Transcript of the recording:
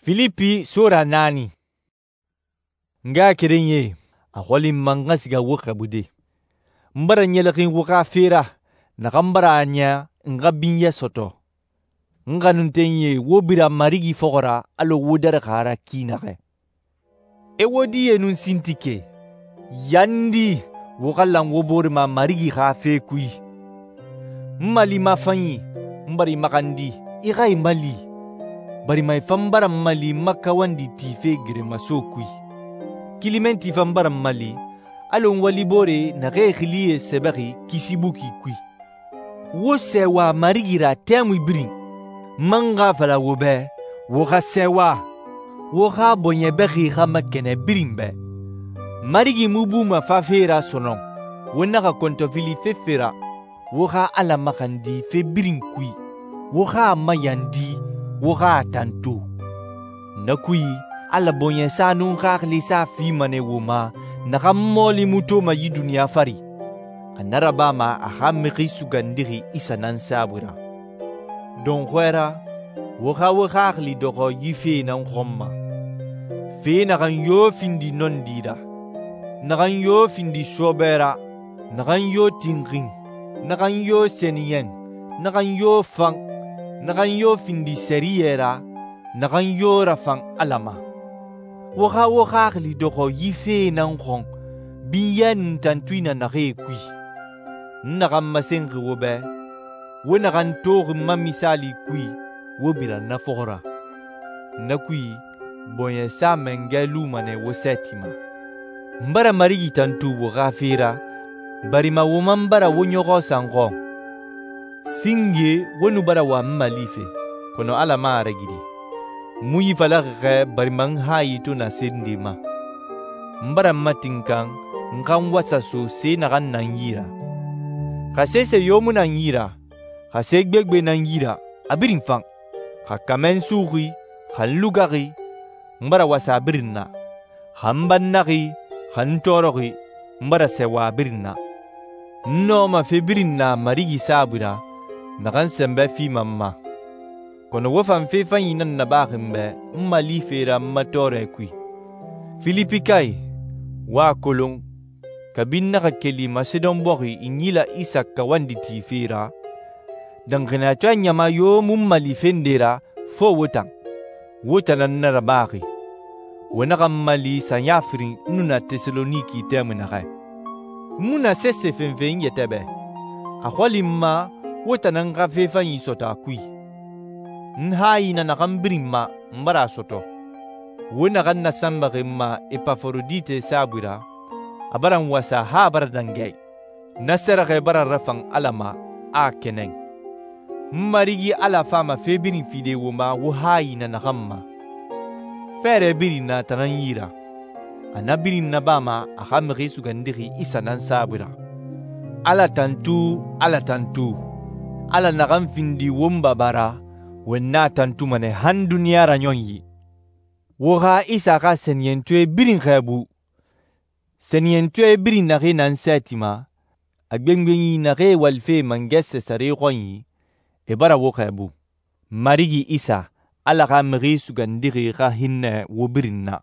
Filipi sura 4. N ngaxakerenyie, a xɔli n ma n xa siga wo xɛɛbude. N bara ɲɛlɛxin wo xa fe ra naxan bara a niya n xa binyɛ sɔtɔ. N xanuntenyie, wo bira Marigi fɔxɔ ra alɔ wo darixi a ra ki naxɛ. Ewodiye nun Sintike, yandi wo xa lan wo bore ma Marigi xa fe kui. N mali mafanyi, n bara i maxandi i xa i mali, barima i fan bara n mali n ma kawandi tife geremaso kui. Kilimenti fan bara n mali alɔ n waliboore naxee xilie sɛbɛxi kisi buki kui. Wo sɛɛwa Marigi ra tɛmui birin. N man xa a fala wo bɛ, wo xa sɛɛwa, wo xa bɔɲɛ bɛxi xa makɛnɛ birin bɛ. Marigi mu buma fafe ra sɔnɔn, wo naxa kɔntɔfili fefe ra. Wo xa Ala maxandi fe birin kui, wo xa a mayandi, wo xa a tantu. Na kui, Ala bɔɲɛsa nun xaxilisa fima nɛ wo ma naxan mɔɔli mu toma yi duniɲa fari. A na rabama a xa Mixi Sugandixi Isa nan saabui ra. Dɔnxɔɛ ra, wo xa wo xaxili dɔxɔ yi fee nan xɔn ma. Fe naxan yo findi nɔndi ra, naxan yo findi sɔɔbɛ ra, naxan yo tinxin, naxan yo sɛniyɛn, naxan yo fan, naxan yo findi sɛriyɛ ra, naxan yo rafan Ala ma. Wo xa wo xaxili dɔxɔ yi fee nan xɔn binyɛ nun tantui na naxee kui. N naxan masenxi wo bɛ, wo naxan toxi n ma misaali kui, wo bira na fɔxɔ ra. Na kui, bɔɲɛsa mangɛ luma nɛ wo sɛɛti ma. N bara Marigi tantu wo xa fe ra, barima wo man bara wo ɲɔxɔ san xɔn. Singe wo nu bara wa n mali fe, kɔnɔ Ala man a ragiri. N mu yi falaxi xɛ barima n hayi to na se nde ma. N bara n matinkan n xa n wasa so se naxan na n yi ra. Xa sese yo mu na n yi ra, xa se gbegbe na n yi ra, a birin fan. Xa kamɛ n suxi, xa n lugaxi, n bara wasa a birin na. Xa n bannaxi, xa n tɔɔrɔxi, n bara sɛɛwa a birin na. N nɔɔma fe birin na Marigi saabui ra, naxan sɛnbɛ fima n ma. Kɔnɔ wo fan fe fanyi nan nabaxi n bɛ n mali fe ra n ma tɔɔrɛ kui. Filipikae, wo a kolon, kabi n naxa keli Masedon bɔxi n yila Isa kawandi tife ra, danxaniyatɔɛ ɲama yo mu n mali fende ra fo wo tan. Wo tan nan na rabaxi. Wo naxa n mali sanya firin n nu na Tesaloniki tɛmui naxɛ. N mu na sese fenfe n yɛtɛ bɛ. A xɔli n ma wo tan nan xa fe fanyi sɔtɔ a kui. N hayi na naxan birin ma n bara a sɔtɔ. Wo naxan nasanbaxi n ma Epaforodite saabui ra, a bara n wasa ha a bara dangɛ. Na sɛrɛxɛ bara rafan Ala ma, a kɛnɛn. N Marigi Ala fama fe birin fide wo ma wo hayi na naxan ma. Fɛɛrɛ birin na tan nan yi ra. A na birin nabama a xa Mixi Sugandixi Isa nan saabui ra. Ala tantu, Ala tantu. Ala naxan findi won Baba ra, won na tantuma nɛ han duniɲa ra ɲɔn yi. Wo xa Isa xa sɛniyɛntɔɛ birin xɛɛbu. Sɛniyɛntɔɛ birin naxee nan sɛɛti ma, a gbengbenyi naxee walife mangɛ Sesare xɔnyi, e bara wo xɛɛbu. Marigi Isa, Ala xa Mixi Sugandixi xa hinnɛ wo birin na.